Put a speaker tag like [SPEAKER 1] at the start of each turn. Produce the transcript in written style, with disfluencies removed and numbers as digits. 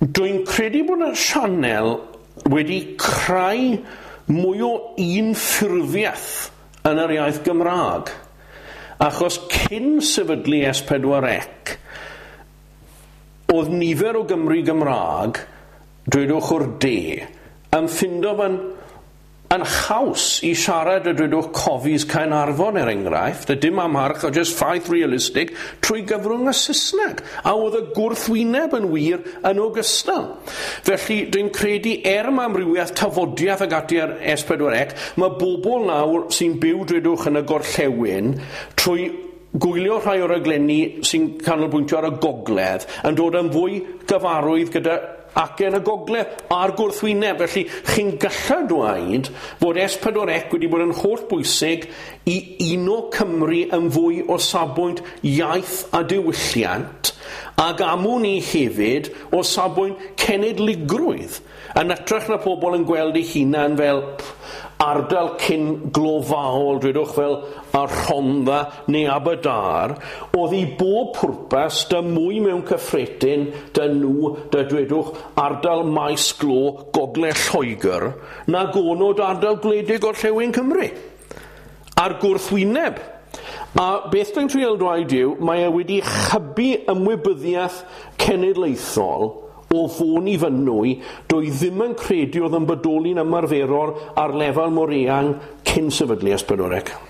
[SPEAKER 1] Dwi'n credu bod y sianel wedi creu mwy o unffurfiaeth yn yr iaith Gymraeg. Achos cyn sefydlu S4C, oedd nifer o Gymry Gymraeg, dwedwch o'r de, yn ffindo fe'n yn haws i siarad y dwedwch cofis Caernarfon er enghraifft, a dim amharch, o just ffaith realistig, trwy gyfrwng y Saesneg. A oedd y gwrthwyneb yn wir yn ogystal. Felly, dwi'n credu er mae amrywiaeth tafodiaeth ag ati ar S4C, mae bobl nawr sy'n byw dwedwch yn y gorllewin trwy gwylio rhai o'r raglenni sy'n canolbwyntio ar y gogledd yn dod yn fwy gyfarwydd gyda acen y gogledd a'r gwrthwyneb. Felly, chi'n gallu dweud fod S4C wedi bod yn holl bwysig i uno Cymru yn fwy o safbwynt iaith a diwylliant, ac amwn i hefyd o safbwynt cenedligrwydd, yn hytrach na pobl yn gweld eu hunan fel ardal cyn glofaol, dwedwch fel y Rhondda neu Aberdâr, oedd i bob pwrpas da mwy mewn cyffredin da nhw, da dwedwch ardal maes glo Gogledd Lloegr, nag o'n nhw da ardal gwledig Gorllewin Cymru. A'r gwrthwyneb. A beth dwi'n trial dweud yw, mae e wedi hybu ymwybyddiaeth cenedlaethol o Fôn i Fynwy, dwi ddim yn credu oedd yn bodoli'n ymarferol ar lefel mor eang cyn sefydlu S4C.